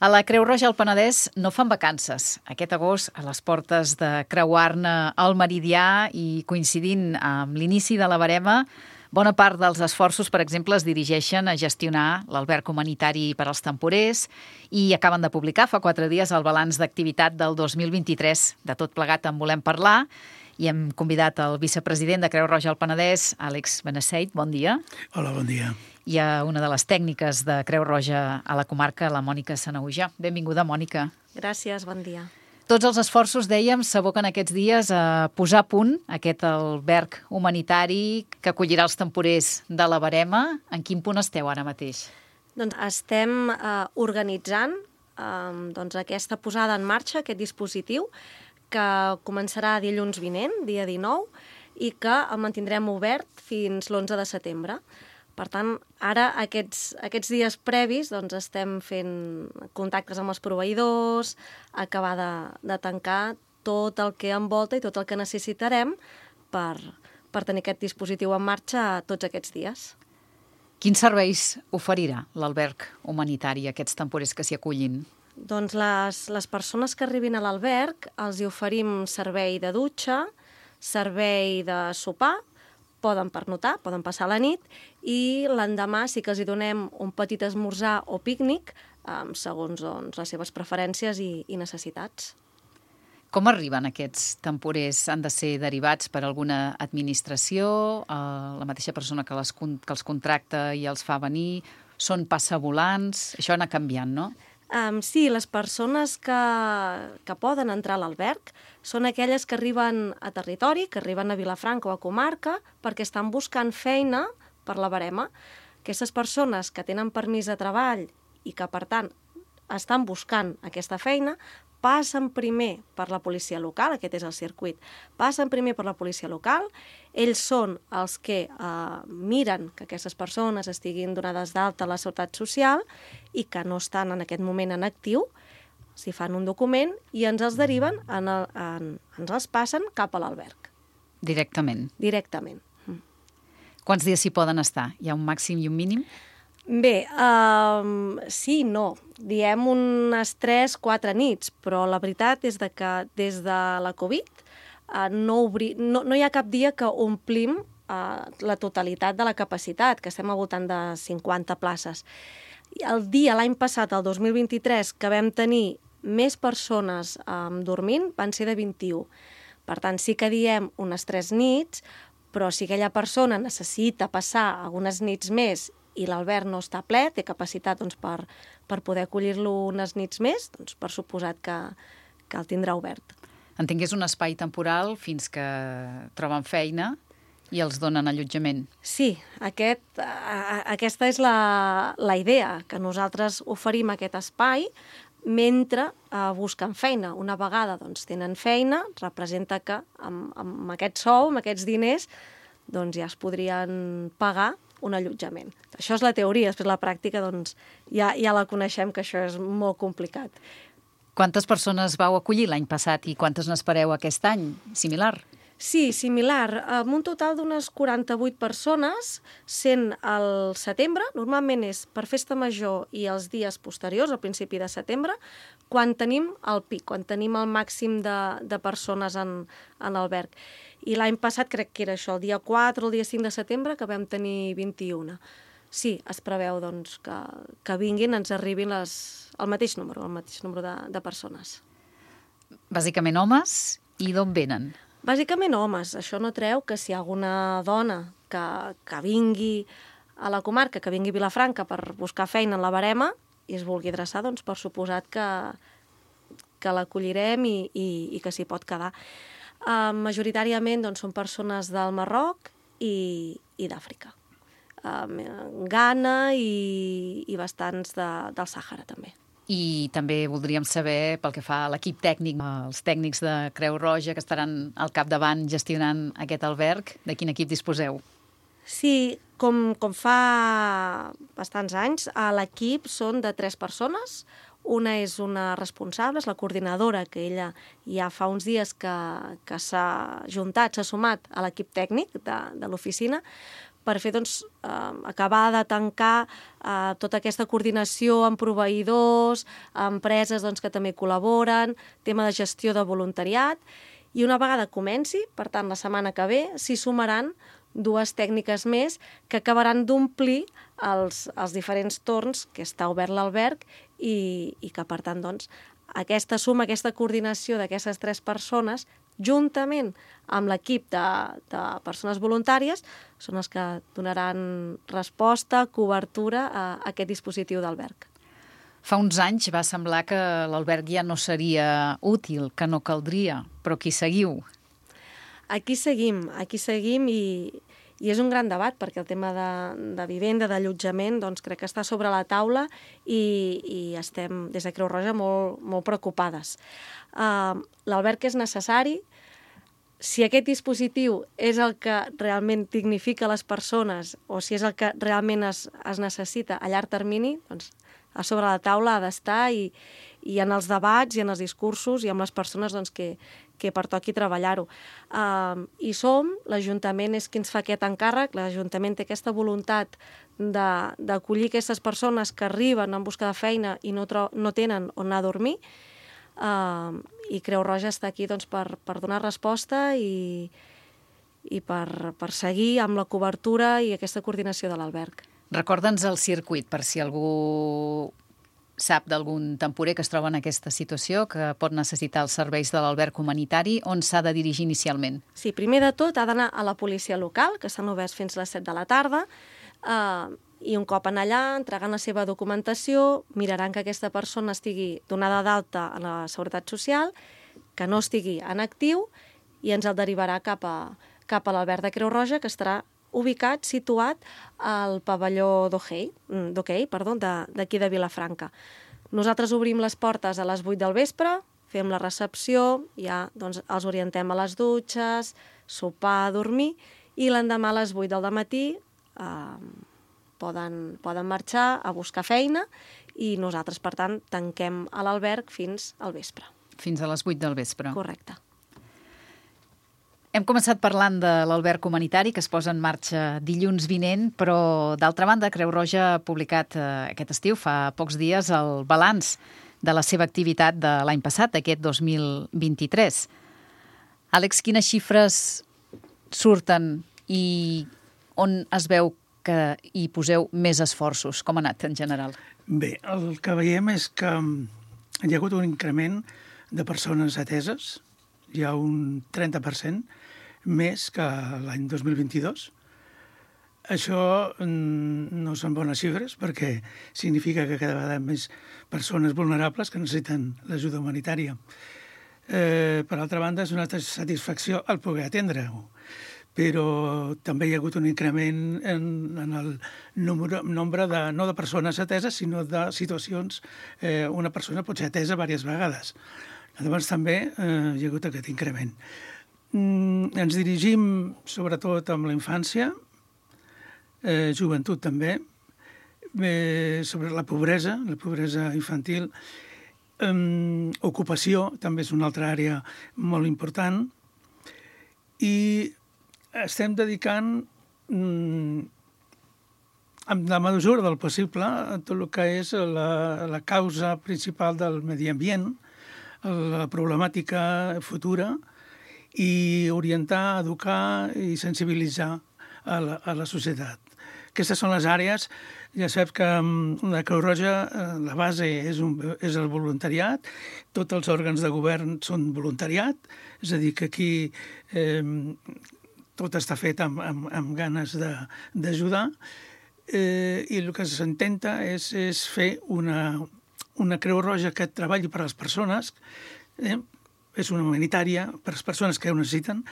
A la Creu Roja al Penedès no fan vacances. Aquest agost, a les portes de creuar-ne el Meridià i coincidint amb l'inici de la Verema, bona part dels esforços, per exemple, es dirigeixen a gestionar l'alberg humanitari per als temporers i acaben de publicar fa 4 dies el balanç d'activitat del 2023. De tot plegat en volem parlar i hem convidat el vicepresident de Creu Roja al Penedès, Àlex Benesseit. Bon dia. Hola, bon dia. I a una de les tècniques de Creu Roja a la comarca, la Mònica Sanahuja. Benvinguda, Mònica. Gràcies, bon dia. Tots els esforços, dèiem, s'aboquen aquests dies a posar a punt aquest alberg humanitari que acollirà els temporers de la Verema. En quin punt esteu ara mateix? Doncs estem organitzant aquesta posada en marxa, aquest dispositiu, que començarà dilluns vinent, dia 19, i que el mantindrem obert fins l'11 de setembre. Per tant, ara, aquests dies previs, doncs, estem fent contactes amb els proveïdors, acabar de tancar tot el que envolta i tot el que necessitarem per tenir aquest dispositiu en marxa tots aquests dies. Quins serveis oferirà l'alberg humanitari a aquests temporers que s'hi acullin? Doncs les persones que arribin a l'alberg els hi oferim servei de dutxa, servei de sopar, poden pernotar, poden passar la nit, i l'endemà sí que els hi donem un petit esmorzar o pícnic, segons les seves preferències i necessitats. Com arriben aquests temporers? Han de ser derivats per alguna administració? La mateixa persona que els contracta i els fa venir? Són passavolants? Això ha anat canviant, no? Sí, les persones que poden entrar a l'alberg són aquelles que arriben a territori, que arriben a Vilafranca o a comarca, perquè estan buscant feina per la Verema. Aquestes persones que tenen permís de treball i que, per tant, estan buscant aquesta feina, passen primer per la policia local, aquest és el circuit, passen primer per la policia local, ells són els que miren que aquestes persones estiguin donades d'alta a la Seguretat Social i que no estan en aquest moment en actiu, s'hi fan un document i ens els deriven, ens els passen cap a l'alberg. Directament? Directament. Quants dies s'hi poden estar? Hi ha un màxim i un mínim? Bé, sí i no. Diem unes 3-4 nits, però la veritat és que des de la Covid no hi ha cap dia que omplim la totalitat de la capacitat, que estem al voltant de 50 places. L'any passat, el 2023, que vam tenir més persones dormint, van ser de 21. Per tant, sí que diem unes 3 nits, però si aquella persona necessita passar algunes nits més i l'alberg no està ple, té capacitat per poder acollir-lo unes nits més, doncs per suposat que el tindrà obert. Entenc que és un espai temporal fins que troben feina i els donen allotjament. Sí, aquesta és la idea, que nosaltres oferim aquest espai mentre busquen feina. Una vegada tenen feina, representa que amb aquest sou, amb aquests diners, doncs ja es podrien pagar un allotjament. Això és la teoria, després la pràctica ja la coneixem, que això és molt complicat. Quantes persones vau acollir l'any passat i quantes n'espereu aquest any? Similar? Sí, similar. Amb un total d'unes 48 persones, sent al setembre, normalment és per festa major i els dies posteriors, al principi de setembre, quan tenim el pic, quan tenim el màxim de persones en l'alberg. I l'any passat crec que era això, el dia 4 o el dia 5 de setembre, que vam tenir 21. Sí, es preveu que vinguin, ens arribin el mateix número de persones. Bàsicament homes, i d'on venen? Bàsicament homes. Això no treu que si hi ha alguna dona que vingui a la comarca, que vingui a Vilafranca per buscar feina en la Verema i es vulgui adreçar, doncs per suposat que l'acollirem i que s'hi pot quedar. Majoritàriament són persones del Marroc i d'Àfrica. Ghana i bastants del Sàhara, també. I també voldríem saber, pel que fa a l'equip tècnic, els tècnics de Creu Roja que estaran al capdavant gestionant aquest alberg, de quin equip disposeu? Sí, com fa bastants anys, l'equip són de 3 persones. Una és una responsable, és la coordinadora, que ella ja fa uns dies que s'ha juntat, s'ha sumat a l'equip tècnic de l'oficina, per fer, acabar de tancar tota aquesta coordinació amb proveïdors, empreses que també col·laboren, tema de gestió de voluntariat, i una vegada comenci, per tant, la setmana que ve, s'hi sumaran 2 tècniques més que acabaran d'omplir els diferents torns que està obert l'alberg i que, per tant, aquesta suma, aquesta coordinació d'aquestes 3 persones, juntament amb l'equip de persones voluntàries, són els que donaran resposta, cobertura a aquest dispositiu d'alberg. Fa uns anys va semblar que l'alberg ja no seria útil, que no caldria, però aquí seguiu. Aquí seguim i és un gran debat perquè el tema de vivenda, d'allotjament, crec que està sobre la taula i estem des de Creu Roja molt, molt preocupades. L'alberg és necessari. Si aquest dispositiu és el que realment dignifica les persones o si és el que realment es necessita a llarg termini, a sobre la taula ha d'estar i en els debats i en els discursos i amb les persones que pertoqui treballar-ho. I l'Ajuntament és qui ens fa aquest encàrrec, l'Ajuntament té aquesta voluntat d'acollir aquestes persones que arriben en busca de feina i no tenen on anar a dormir, i Creu Roja està aquí per donar resposta i per seguir amb la cobertura i aquesta coordinació de l'alberg. Recorda'ns el circuit, per si algú sap d'algun temporer que es troba en aquesta situació, que pot necessitar els serveis de l'alberg humanitari, on s'ha de dirigir inicialment? Sí, primer de tot ha d'anar a la policia local, que estan oberts fins a les 7 de la tarda, i un cop en allà, entregant la seva documentació, miraran que aquesta persona estigui donada d'alta a la Seguretat Social, que no estigui en actiu, i ens el derivarà cap a l'alberg de Creu Roja, que estarà ubicat, situat al pavelló d'hoquei d'aquí de Vilafranca. Nosaltres obrim les portes a les 8 del vespre, fem la recepció, ja els orientem a les dutxes, sopar, dormir, i l'endemà a les 8 del matí poden marxar a buscar feina i nosaltres, per tant, tanquem a l'alberg fins al vespre. Fins a les 8 del vespre. Correcte. Hem començat parlant de l'alberg humanitari que es posa en marxa dilluns vinent, però d'altra banda Creu Roja ha publicat aquest estiu, fa pocs dies, el balanç de la seva activitat de l'any passat, aquest 2023. Àlex, quines xifres surten i on es veu que hi poseu més esforços? Com ha anat en general? Bé, el que veiem és que hi ha hagut un increment de persones ateses, hi ha un 30% més que l'any 2022. Això no són bones xifres perquè significa que cada vegada més persones vulnerables que necessiten l'ajuda humanitària. Per altra banda, és una satisfacció el poder atendre-ho, però també hi ha hagut un increment en el nombre no de persones ateses, sinó de situacions. Una persona pot ser atesa diverses vegades. Llavors també hi ha hagut aquest increment. Ens dirigim sobretot amb la infància, joventut també, sobre la pobresa infantil, ocupació també és una altra àrea molt important, i estem dedicant amb la mesura del possible a tot el que és la causa principal del medi ambient, la problemàtica futura, i orientar, educar i sensibilitzar a la societat. Aquestes són les àrees. Ja saps que la Creu Roja, la base és el voluntariat, tots els òrgans de govern són voluntariat, és a dir, que aquí tot està fet amb ganes d'ajudar, i el que s'intenta és fer una Creu Roja que treballi per a les persones, és una humanitària per a les persones que ho necessiten,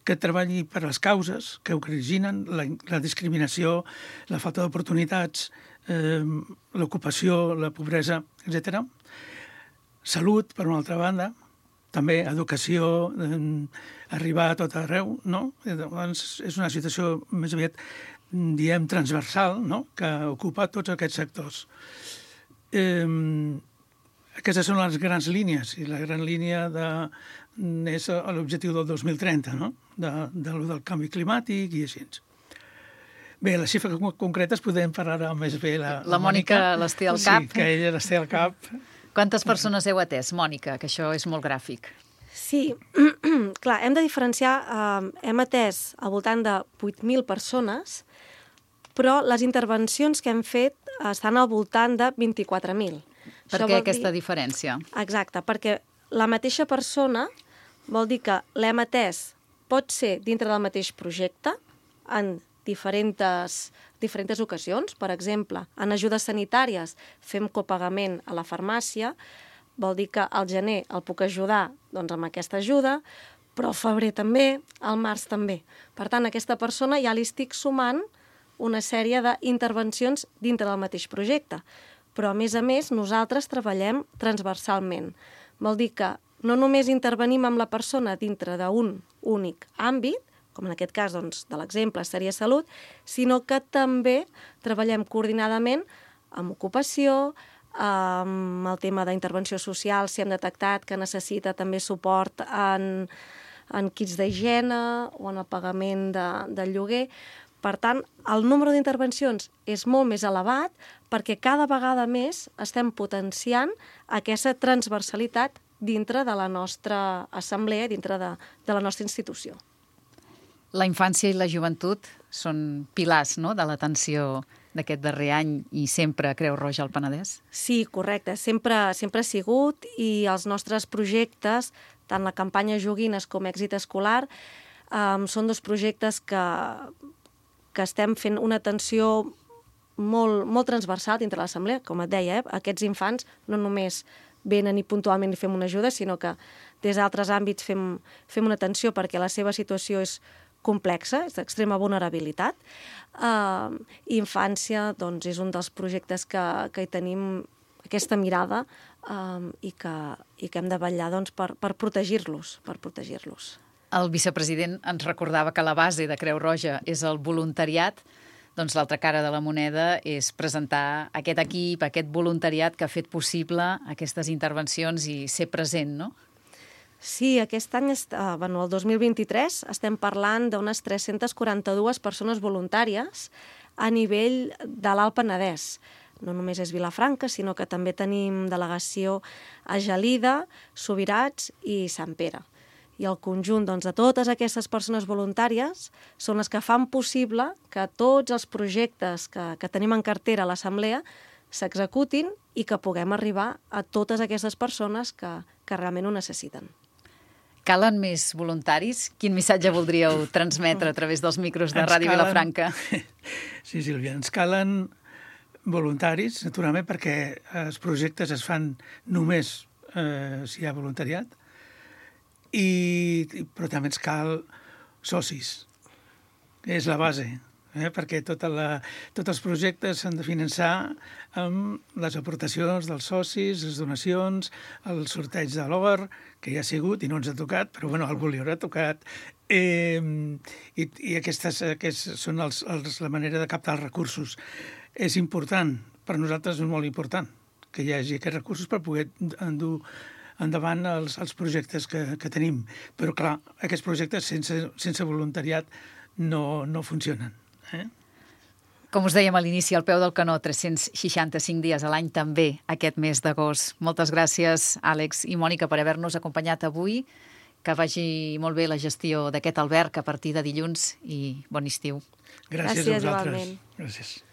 que treballi per a les causes que originen la discriminació, la falta d'oportunitats, l'ocupació, la pobresa, etc. Salut, per una altra banda, també educació, arribar a tot arreu, no? Llavors, és una situació més aviat, diem, transversal, no? Que ocupa tots aquests sectors. Aquestes són les grans línies, i la gran línia és l'objectiu del 2030, no? Del canvi climàtic i així. Bé, les xifres concretes podem parlar més bé la Mònica les té al cap. Sí, que ella les té al cap. Quantes persones heu atès, Mònica? Que això és molt gràfic. Sí, clar, hem de diferenciar, hem atès al voltant de 8.000 persones, però les intervencions que hem fet estan al voltant de 24.000. Per què aquesta diferència? Exacte, perquè la mateixa persona vol dir que l'hem atès, pot ser dintre del mateix projecte, en diferents ocasions. Per exemple, en ajudes sanitàries fem copagament a la farmàcia, vol dir que al gener el puc ajudar doncs, amb aquesta ajuda, però al febrer també, al març també. Per tant, a aquesta persona ja li estic sumant una sèrie d'intervencions dintre del mateix projecte. Però, a més, nosaltres treballem transversalment. Vol dir que no només intervenim amb la persona dintre d'un únic àmbit, com en aquest cas doncs, de l'exemple seria salut, sinó que també treballem coordinadament amb ocupació, amb el tema d'intervenció social, si hem detectat que necessita també suport en kits d'higiene o en el pagament del lloguer. Per tant, el número d'intervencions és molt més elevat perquè cada vegada més estem potenciant aquesta transversalitat dintre de la nostra assemblea, dintre de la nostra institució. La infància i la joventut són pilars, no?, de l'atenció d'aquest darrer any i sempre Creu Roja al Penedès? Sí, correcte. Sempre ha sigut i els nostres projectes, tant la campanya Joguines com Èxit Escolar, són dos projectes que estem fent una atenció molt transversal dintre l'assemblea. Com et deia, aquests infants no només venen i puntualment fem una ajuda, sinó que des d'altres àmbits fem una atenció perquè la seva situació és complexa, és d'extrema vulnerabilitat. Infància doncs, és un dels projectes que hi tenim aquesta mirada i que hem de vetllar doncs, per protegir-los. El vicepresident ens recordava que la base de Creu Roja és el voluntariat. Doncs l'altra cara de la moneda és presentar aquest equip, aquest voluntariat que ha fet possible aquestes intervencions i ser present, no? Sí, aquest any, el 2023, estem parlant d'unes 342 persones voluntàries a nivell de l'Alt Penedès. No només és Vilafranca, sinó que també tenim delegació a Gelida, Subirats i Sant Pere. I el conjunt de totes aquestes persones voluntàries són les que fan possible que tots els projectes que tenim en cartera a l'Assemblea s'executin i que puguem arribar a totes aquestes persones que realment ho necessiten. Calen més voluntaris? Quin missatge voldríeu transmetre a través dels micros de Ràdio Vilafranca? Sí, Sílvia, ens calen voluntaris, naturalment, perquè els projectes es fan només si hi ha voluntariat, però també ens cal socis. És la base, perquè tots els projectes s'han de finançar amb les aportacions dels socis, les donacions, el sorteig de l'OR, que ja ha sigut i no ens ha tocat, però bueno, algú li haurà tocat. I aquestes són la manera de captar els recursos. És important, per nosaltres és molt important, que hi hagi aquests recursos per poder endur endavant els projectes que tenim. Però, clar, aquests projectes sense voluntariat no funcionen. Com us dèiem a l'inici, al peu del canó, 365 dies a l'any, també aquest mes d'agost. Moltes gràcies, Àlex i Mònica, per haver-nos acompanyat avui. Que vagi molt bé la gestió d'aquest alberg a partir de dilluns i bon estiu. Gràcies a vosaltres. Igualment. Gràcies.